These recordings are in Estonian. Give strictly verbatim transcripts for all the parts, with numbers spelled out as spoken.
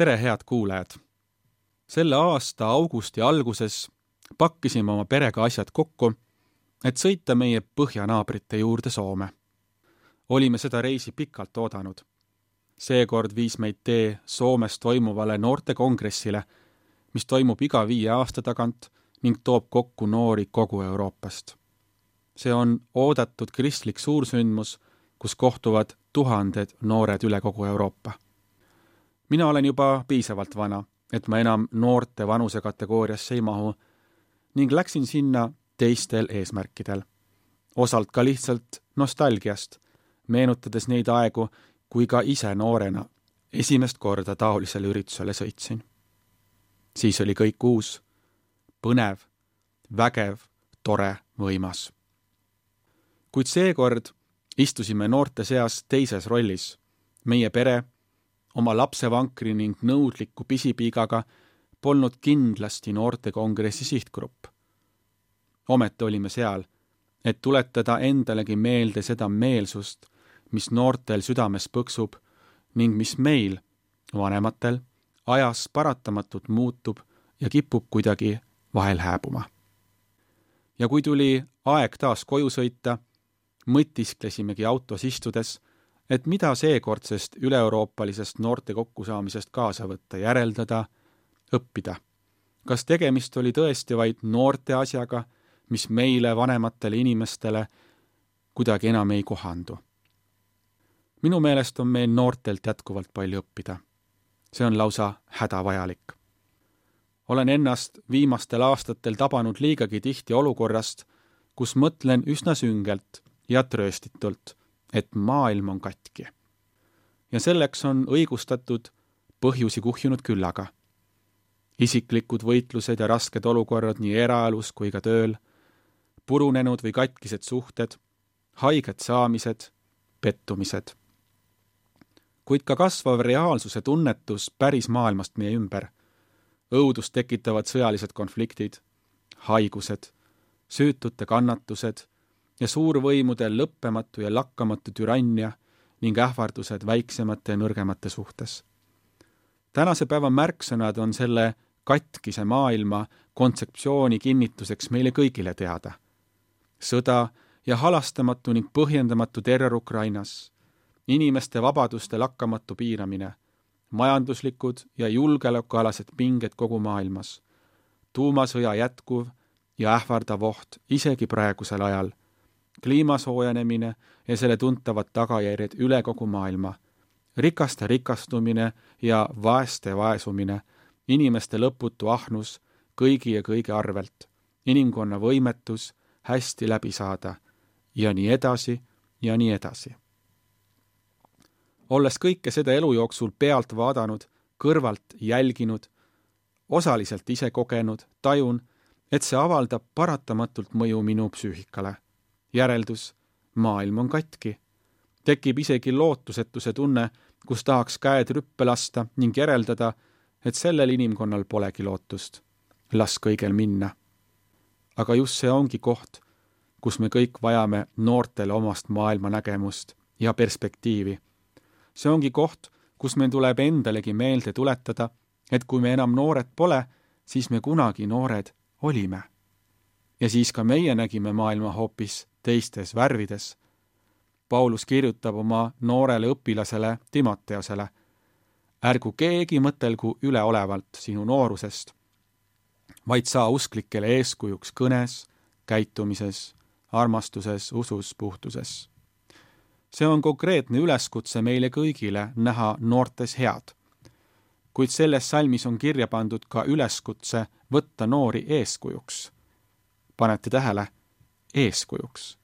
Tere, head kuulajad! Selle aasta augusti alguses pakkisime oma perega asjad kokku, et sõita meie põhjanaabrite juurde Soome. Olime seda reisi pikalt oodanud. Seekord viis meid tee Soomes toimuvale noortekongressile, mis toimub iga viie aasta tagant ning toob kokku noori kogu Euroopast. See on oodatud kristlik suursündmus, kus kohtuvad tuhanded noored üle kogu Euroopa. Mina olen juba piisavalt vana, et ma enam noorte vanusekategooriasse ei mahu ning läksin sinna teistel eesmärkidel. Osalt ka lihtsalt nostalgiast, meenutades neid aegu, kui ka ise noorena esimest korda taolisele üritusele sõitsin. Siis oli kõik uus, põnev, vägev, tore, võimas. Kuid seekord istusime noorte seas teises rollis. Meie pere, oma lapsevankri ning nõudliku pisipiigaga polnud kindlasti noortekongressi sihtgrupp. Ometi olime seal, et tuletada endalegi meelde seda meelsust, mis noortel südames põksub ning mis meil, vanematel, ajas paratamatult muutub ja kipub kuidagi vahel hääbuma. Ja kui tuli aeg taas koju sõita, mõtisklesimegi autos istudes, et mida seekordsest üle-euroopalisest noorte kokkusaamisest kaasa võtta, järeldada, õppida. Kas tegemist oli tõesti vaid noorte asjaga, mis meile, vanematele inimestele, kuidagi enam ei kohandu? Minu meelest on meil noortelt jätkuvalt palju õppida. See on lausa hädavajalik. Olen ennast viimastel aastatel tabanud liigagi tihti olukorrast, kus mõtlen üsna süngelt ja trööstitult, et maailm on katki. Ja selleks on õigustatud põhjusi kuhjunud küllaga. Isiklikud võitlused ja rasked olukorrad nii eraelus kui ka tööl, purunenud või katkised suhted, haiged saamised, pettumised. Kuid ka kasvav reaalsuse tunnetus päris maailmast meie ümber. Õudust tekitavad sõjalised konfliktid, haigused, süütute kannatused ja suurvõimude lõppematu ja lakkamatu türannia ning ähvardused väiksemate ja nõrgemate suhtes. Tänase päeva märksõnad on selle katkise maailma kontseptsiooni kinnituseks meile kõigile teada. Sõda ja halastamatu ning põhjendamatu terror Ukrainas, inimeste vabaduste lakkamatu piiramine, majanduslikud ja julgeolekualased pinged kogu maailmas, tuumasõja jätkuv ja ähvardav oht isegi praegusel ajal, kliimasoojenemine ja selle tuntavad tagajärjed üle kogu maailma, rikaste rikastumine ja vaeste vaesumine, inimeste lõputu ahnus kõigi ja kõige arvelt, inimkonna võimetus hästi läbi saada ja nii edasi ja nii edasi. Olles kõike seda elu jooksul pealt vaadanud, kõrvalt jälginud, osaliselt ise kogenud, tajun, et see avaldab paratamatult mõju minu psüühikale. Järeldus, maailm on katki. Tekib isegi lootusetuse tunne, kus tahaks käed rüppe lasta ning järeldada, et sellel inimkonnal polegi lootust. Las kõigel minna. Aga just see ongi koht, kus me kõik vajame noortele omast maailma nägemust ja perspektiivi. See ongi koht, kus meil tuleb endalegi meelde tuletada, et kui me enam noored pole, siis me kunagi noored olime. Ja siis ka meie nägime maailma hoopis teistes värvides. Paulus kirjutab oma noorele õpilasele Timoteosele: ärgu keegi mõtelgu üleolevalt sinu noorusest, vaid saa usklikele eeskujuks kõnes, käitumises, armastuses, usus, puhtuses. See on konkreetne üleskutse meile kõigile näha noortes head. Kuid selles salmis on kirja pandud ka üleskutse võtta noori eeskujuks. Panete tähele? Eeskujuks.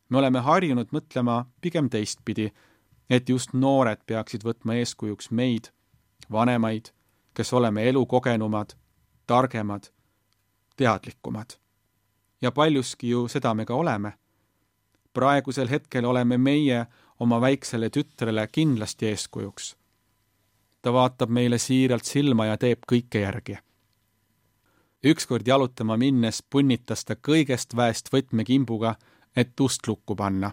Me oleme harjunud mõtlema pigem teistpidi, et just noored peaksid võtma eeskujuks meid, vanemaid, kes oleme elukogenumad, targemad, teadlikumad. Ja paljuski ju seda me ka oleme. Praegusel hetkel oleme meie oma väiksele tütrele kindlasti eeskujuks. Ta vaatab meile siiralt silma ja teeb kõike järgi. Ükskord jalutama minnes punnitas ta kõigest väest võtmekimbuga, et ust lukku panna.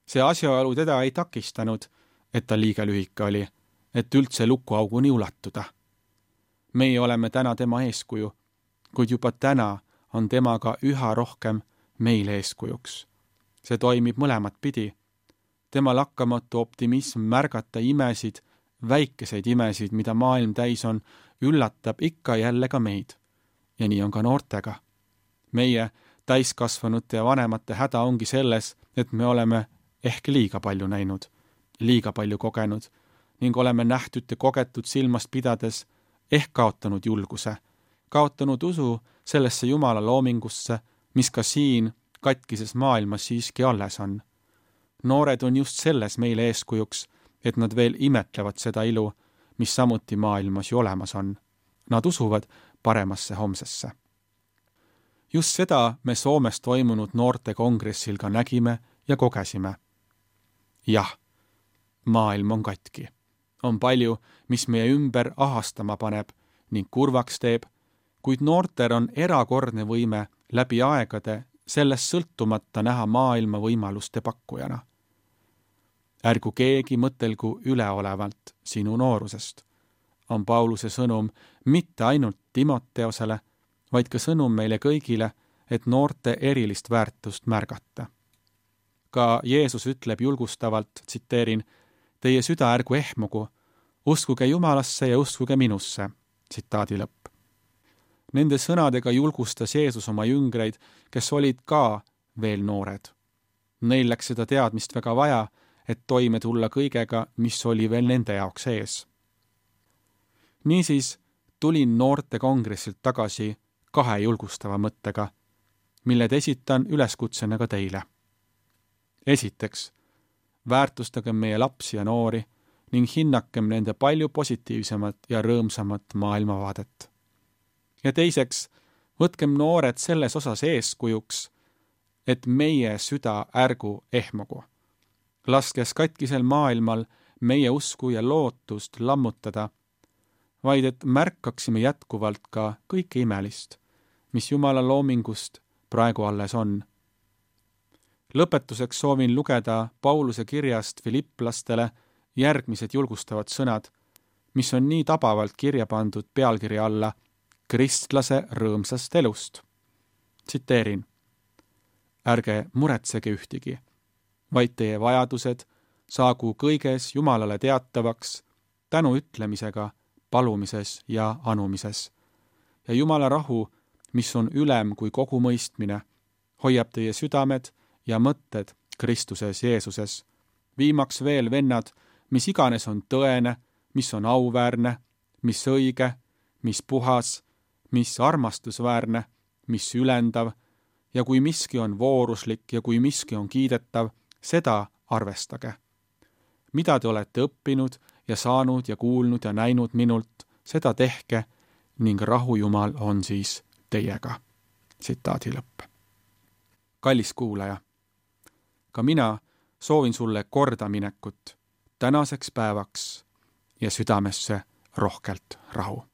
See asjaolu teda ei takistanud, et ta liiga lühike oli, et üldse lukuauguni ulatuda. Meie oleme täna tema eeskuju, kuid juba täna on temaga üha rohkem meile eeskujuks. See toimib mõlemat pidi. Tema lakkamatu optimism märgata imesid, väikeseid imesid, mida maailm täis on, üllatab ikka jälle ka meid. Ja nii on ka noortega. Meie täiskasvanute ja vanemate häda ongi selles, et me oleme ehk liiga palju näinud, liiga palju kogenud ning oleme nähtud ja kogetud silmast pidades ehk kaotanud julguse, kaotanud usu sellesse Jumala loomingusse, mis ka siin katkises maailmas siiski alles on. Noored on just selles meile eeskujuks, et nad veel imetlevad seda ilu, mis samuti maailmas ju olemas on. Nad usuvad paremasse homsesse. Just seda me Soomes toimunud noorte kongressil ka nägime ja kogesime. Jah, maailm on katki. On palju, mis meie ümber ahastama paneb ning kurvaks teeb, kuid noortel on erakordne võime läbi aegade sellest sõltumata näha maailma võimaluste pakkujana. Ärgu keegi mõtelgu üleolevalt sinu noorusest, on Pauluse sõnum mitte ainult Timoteosele, vaid ka sõnum meile kõigile, et noorte erilist väärtust märgata. Ka Jeesus ütleb julgustavalt, tsiteerin, teie süda ärgu ehmugu, uskuge Jumalasse ja uskuge minusse, tsitaadi lõpp. Nende sõnadega julgustas Jeesus oma jüngreid, kes olid ka veel noored. Neil läks seda teadmist väga vaja, et toime tulla kõigega, mis oli veel nende jaoks ees. Niisiis tulin noorte kongressilt tagasi kahe julgustava mõttega, milled esitan üleskutsena ka teile. Esiteks, väärtustagem meie lapsi ja noori ning hinnakem nende palju positiivsemat ja rõõmsamat maailmavaadet. Ja teiseks, võtkem noored selles osas eeskujuks, et meie süda ärgu ehmugu. Laskes katkisel maailmal meie usku ja lootust lammutada, vaid et märkaksime jätkuvalt ka kõike imelist, mis Jumala loomingust praegu alles on. Lõpetuseks soovin lugeda Pauluse kirjast Filipplastele järgmised julgustavad sõnad, mis on nii tabavalt kirja pandud pealkirja alla kristlase rõõmsast elust. Tsiteerin, ärge muretsege ühtigi, vaid teie vajadused saagu kõiges Jumalale teatavaks tänu ütlemisega, palumises ja anumises. Ja Jumala rahu, mis on ülem kui kogu mõistmine, hoiab teie südamed ja mõtted Kristuses Jeesuses. Viimaks veel, vennad, mis iganes on tõene, mis on auväärne, mis õige, mis puhas, mis armastusväärne, mis ülendav, ja kui miski on vooruslik ja kui miski on kiidetav, seda arvestage. Mida te olete õppinud ja saanud ja kuulnud ja näinud minult, seda tehke ning rahu Jumal on siis teiega. Tsitaadi lõpp. Kallis kuulaja, ka mina soovin sulle kordaminekut tänaseks päevaks ja südamesse rohkelt rahu.